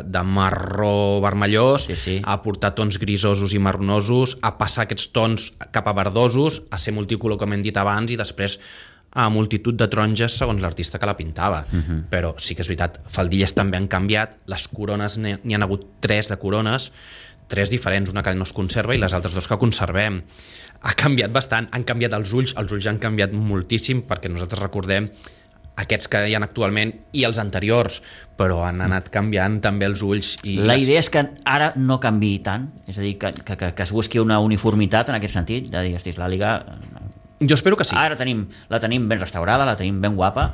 Speaker 3: de marró vermellós a portar tons grisosos i marronosos, a passar aquests tons cap a verdosos, a ser multicolor, com hem dit abans, i després a multitud de taronges segons l'artista que la pintava. Però sí que és veritat, faldilles també han canviat, les corones n'hi han hagut 3 de corones, 3 diferents, una que no es conserva i les altres 2 que conservem. Ha canviat bastant, han canviat els ulls han canviat moltíssim, perquè nosaltres recordem aquests que hi ha actualment i els anteriors, però han anat canviant també els ulls.
Speaker 2: La idea és que ara no canviï tant, és a dir, que es busqui una uniformitat en aquest sentit, de dir, hosti, l'Àliga...
Speaker 3: Jo espero que sí.
Speaker 2: Ara la tenim ben restaurada, la tenim ben guapa,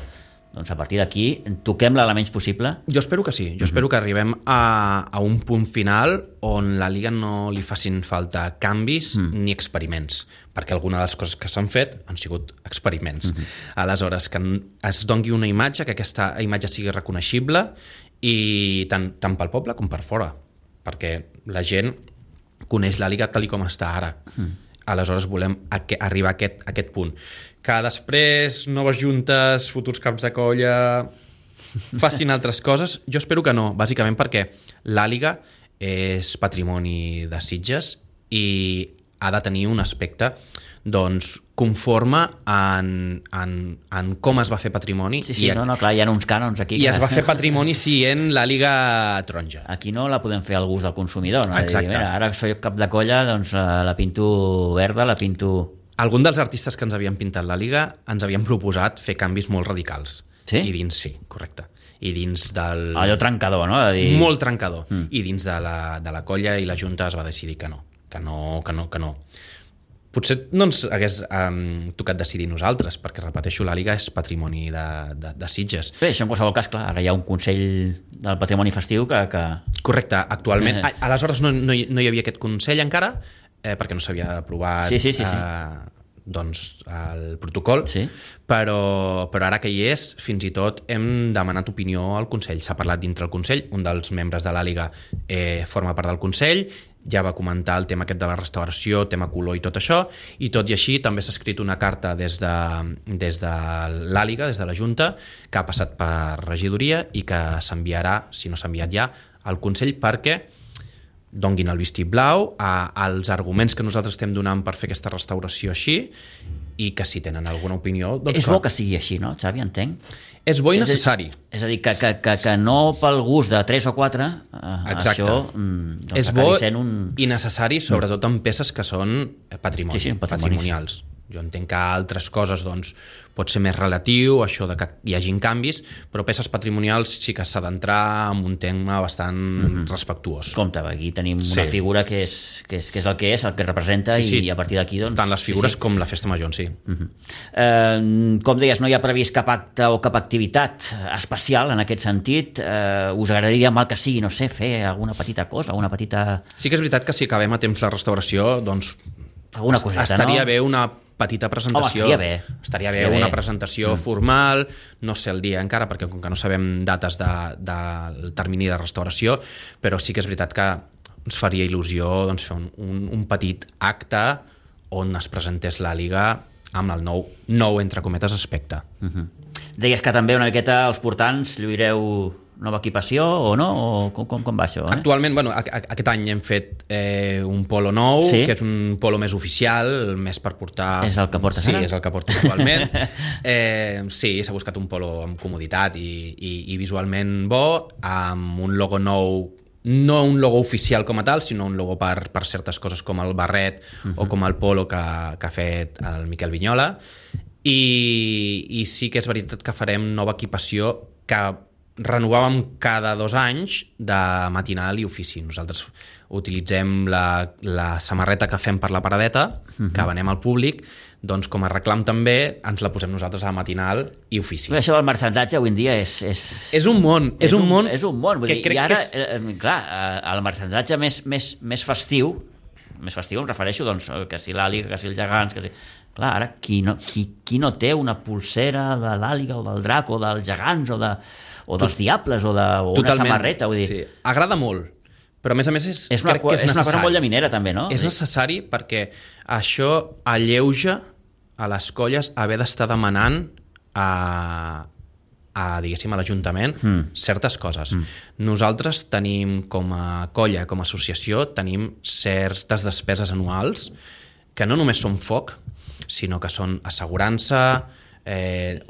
Speaker 2: doncs a partir d'aquí toquem-la la menys possible.
Speaker 3: Jo espero que sí, jo espero que arribem a un punt final on la Liga no li facin falta canvis ni experiments, perquè alguna de les coses que s'han fet han sigut experiments. Aleshores, que es doni una imatge, que aquesta imatge sigui reconeixible i tant pel poble com per fora, perquè la gent coneix la Liga tal com està ara. Aleshores volem arribar a aquest punt. Que després noves juntes, futurs caps de colla facin altres coses, jo espero que no, bàsicament perquè l'Àliga és patrimoni de Sitges i ha de tenir un aspecte doncs, conforme en com es va fer patrimoni.
Speaker 2: Sí, clar, hi ha uns cànons aquí.
Speaker 3: I es va fer patrimoni sent l'Àliga taronja.
Speaker 2: Aquí no la podem fer al gust del consumidor. No?
Speaker 3: Exacte.
Speaker 2: Dir, mira, ara soc cap de colla, doncs la pinto verda, la pinto...
Speaker 3: Algun dels artistes que ens havien pintat l'Àliga ens havien proposat fer canvis molt radicals.
Speaker 2: Sí?
Speaker 3: I dins, sí, correcte. I dins del...
Speaker 2: Allò trencador, no? De dir...
Speaker 3: Molt trencador. I dins de la colla i la Junta es va decidir que no. Potser no ens hagués tocat decidir nosaltres, perquè, repeteixo, l'Àliga és patrimoni de Sitges.
Speaker 2: Bé, això en qualsevol cas, clar, ara hi ha un Consell del Patrimoni Festiu que...
Speaker 3: Correcte, actualment. Aleshores no hi havia aquest Consell encara, perquè no s'havia aprovat
Speaker 2: sí.
Speaker 3: doncs, el protocol,
Speaker 2: sí.
Speaker 3: Però ara que hi és, fins i tot hem demanat opinió al Consell. S'ha parlat dintre el Consell, un dels membres de l'Àliga forma part del Consell, ja va comentar el tema aquest de la restauració, tema color i tot això, i tot i així també s'ha escrit una carta des de l'Àliga, des de la Junta, que ha passat per regidoria i que s'enviarà, si no s'ha enviat ja, al Consell perquè donguin el vistiplau als arguments que nosaltres estem donant per fer aquesta restauració així i que si tenen alguna opinió... Doncs
Speaker 2: és bo que sigui així, no, Xavi, entenc?
Speaker 3: És bo i necessari.
Speaker 2: És a dir, que no pel gust de 3 o 4, això doncs
Speaker 3: és bo
Speaker 2: un...
Speaker 3: i necessari, sobretot en peces que són patrimonials. Jo entenc que altres coses doncs, pot ser més relatiu, això de que hi hagin canvis, però peces patrimonials sí que s'ha d'entrar en un tema bastant respectuós.
Speaker 2: Compte, aquí tenim una figura que és el que és, el que representa, i a partir d'aquí... Doncs,
Speaker 3: tant les figures com la festa major en si.
Speaker 2: Com deies, no hi ha previst cap acte o cap activitat especial en aquest sentit. Us agradaria, mal que sigui, no sé, fer alguna petita cosa, alguna petita...
Speaker 3: Sí que és veritat que si acabem a temps la restauració, doncs
Speaker 2: alguna coseta,
Speaker 3: estaria
Speaker 2: no?
Speaker 3: bé una petita presentació. Estaria bé una presentació formal, no sé el dia encara, perquè com que no sabem dates del termini de restauració, però sí que és veritat que ens faria il·lusió doncs, fer un petit acte on es presentés l'Àliga amb el nou entre cometes, aspecte.
Speaker 2: Deies que també una miqueta els portants lluireu nova equipació o no? O com va això?
Speaker 3: Actualment, aquest any hem fet un polo nou, que és un polo més oficial, més per portar...
Speaker 2: És el que portes ara?
Speaker 3: Sí, és el que porto actualment. Sí, s'ha buscat un polo amb comoditat i visualment bo, amb un logo nou, no un logo oficial com a tal, sinó un logo per certes coses com el barret o com el polo que ha fet el Miquel Vignola. I sí que és veritat que farem nova equipació que renovàvem cada 2 anys de matinal i ofici. Nosaltres utilitzem la samarreta que fem per la paradeta, que venem al públic, doncs com a reclam també ens la posem nosaltres a matinal i ofici.
Speaker 2: Això del marxandatge avui en dia és
Speaker 3: un món. És un món.
Speaker 2: Vull dir, i ara, clar, el marxandatge més festiu, em refereixo, doncs, que si l'Àliga, que si els gegants, que si... Clar, ara, qui no té una pulsera de l'Àliga o del drac o dels gegants o dels diables o una samarreta, vull dir...
Speaker 3: Sí, agrada molt, però a més
Speaker 2: és una cosa molt llaminera també, no?
Speaker 3: És necessari perquè això alleuja a les colles haver d'estar demanant diguéssim, a l'Ajuntament certes coses. Nosaltres tenim com a colla, com a associació, tenim certes despeses anuals que no només són foc, sinó que són assegurança,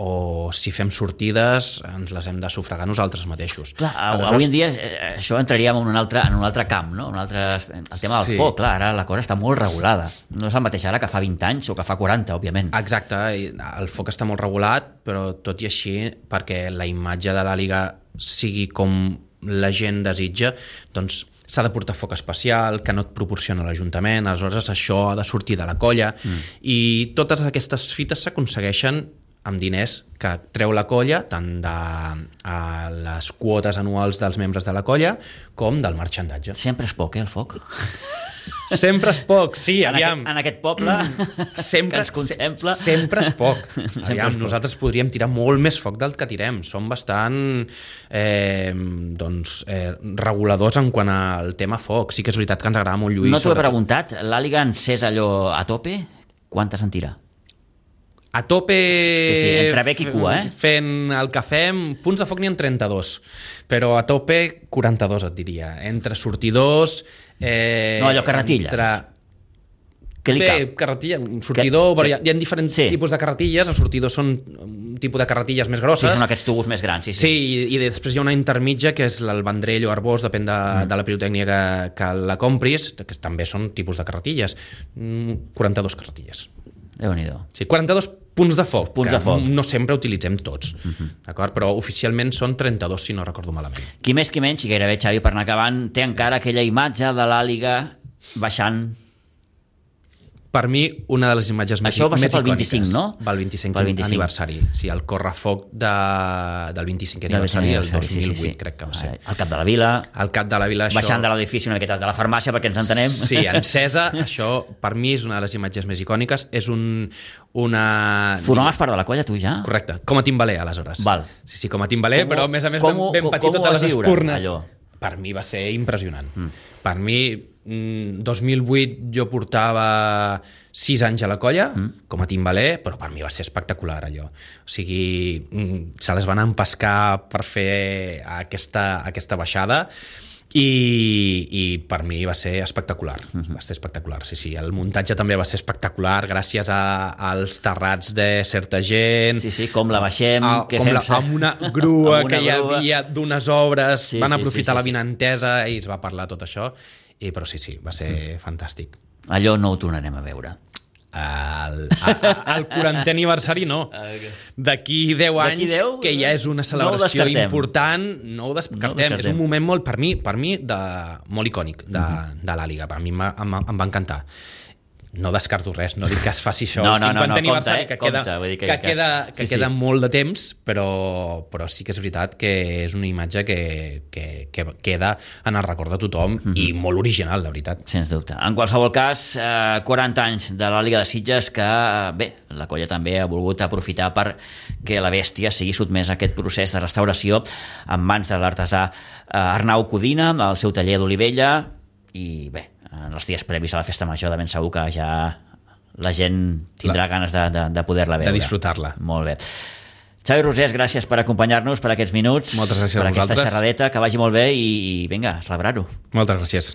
Speaker 3: o si fem sortides ens les hem de sufragar nosaltres mateixos.
Speaker 2: Clar, avui en dia això entraríem en un altre camp, no? El tema del foc, clar, ara la cosa està molt regulada. No és el mateix ara que fa 20 anys o que fa 40, òbviament.
Speaker 3: Exacte, el foc està molt regulat, però tot i així, perquè la imatge de l'àliga sigui com la gent desitja, doncs s'ha de portar foc especial, que no et proporciona l'Ajuntament, aleshores això ha de sortir de la colla, i totes aquestes fites s'aconsegueixen amb diners que treu la colla, tant de les quotes anuals dels membres de la colla com del marxandatge.
Speaker 2: Sempre és poc, el foc?
Speaker 3: Sempre és poc, sí, aviam.
Speaker 2: En aquest poble que ens contempla.
Speaker 3: Sempre és poc. Aviam, nosaltres podríem tirar molt més foc del que tirem. Som bastant reguladors en quant al tema foc. Sí que és veritat que ens agrada molt lluir.
Speaker 2: No t'ho he preguntat, l'àliga encès allò a tope, quantes en tira?
Speaker 3: A tope...
Speaker 2: Sí, entre bec i cua,
Speaker 3: fent el que fem, punts de foc n'hi ha 32, però a tope 42 et diria. Entre sortidors...
Speaker 2: no, allò, carretilles. Què li cap?
Speaker 3: Carretilla, un sortidor... Hi ha diferents tipus de carretilles, els sortidors són un tipus de carretilles més grosses.
Speaker 2: Sí, són aquests tubos més grans,
Speaker 3: Sí, i després hi ha una intermitja, que és el vendrell o arbós, depèn de la pirotècnia que la compris, que també són tipus de carretilles. 42 carretilles.
Speaker 2: Déu-n'hi-do.
Speaker 3: Sí, 42 punts de foc,
Speaker 2: que
Speaker 3: no sempre utilitzem tots, d'acord? Però oficialment són 32, si no recordo malament.
Speaker 2: Qui més qui menys, i gairebé, Xavi, per anar acabant, té encara aquella imatge de l'àliga baixant...
Speaker 3: Per mi, una de les imatges més icòniques...
Speaker 2: Això va ser pel 25, no?
Speaker 3: Pel 25 aniversari. Sí, el correfoc del 25 aniversari, el 2008, crec que va ser.
Speaker 2: Al cap de la vila.
Speaker 3: Al cap de la vila, això...
Speaker 2: Baixant de l'edifici, una miqueta de la farmàcia, perquè ens entenem.
Speaker 3: Sí, encesa, això per mi és una de les imatges més icòniques. És una...
Speaker 2: Formaves part de la colla, tu, ja?
Speaker 3: Correcte, com a timbaler, aleshores.
Speaker 2: Val.
Speaker 3: Sí, com a timbaler, però a més ben petit totes les espurnes.
Speaker 2: Allò?
Speaker 3: Per mi va ser impressionant. Per mi, 2008 jo portava 6 anys a la colla com a timbaler, però per mi va ser espectacular allò. O sigui, se les van empescar per fer aquesta baixada i per mi va ser espectacular. Va ser espectacular, sí. El muntatge també va ser espectacular gràcies als terrats de certa gent.
Speaker 2: Sí, com la baixem,
Speaker 3: amb una grua que hi havia d'unes obres, van aprofitar la vinentesa i es va parlar tot això. Però sí, va ser fantàstic.
Speaker 2: Allò no ho tornarem a veure.
Speaker 3: El 40è aniversari no. D'aquí 10 anys, que ja és una celebració important, no ho descartem. És un moment molt, per mi molt icònic de l'àliga. Per mi em va encantar. No descarto res, no dic que es faci això el 50è aniversari, que queda molt de temps, però sí que és veritat que és una imatge que queda en el record de tothom i molt original, la veritat.
Speaker 2: Sens dubte. En qualsevol cas, 40 anys de l'Àliga de Sitges que, bé, la colla també ha volgut aprofitar per que la bèstia sigui sotmesa a aquest procés de restauració en mans de l'artesà Arnau Codina, al seu taller d'Olivella, i bé, en els dies previs a la festa major de ben segur que ja la gent tindrà ganes de poder-la veure.
Speaker 3: De disfrutar-la.
Speaker 2: Molt bé. Xavi Rosés, gràcies per acompanyar-nos per aquests minuts.
Speaker 3: Moltes gràcies
Speaker 2: per
Speaker 3: a vosaltres.
Speaker 2: aquesta xerradeta, que vagi molt bé i vinga, a celebrar-ho.
Speaker 3: Moltes gràcies.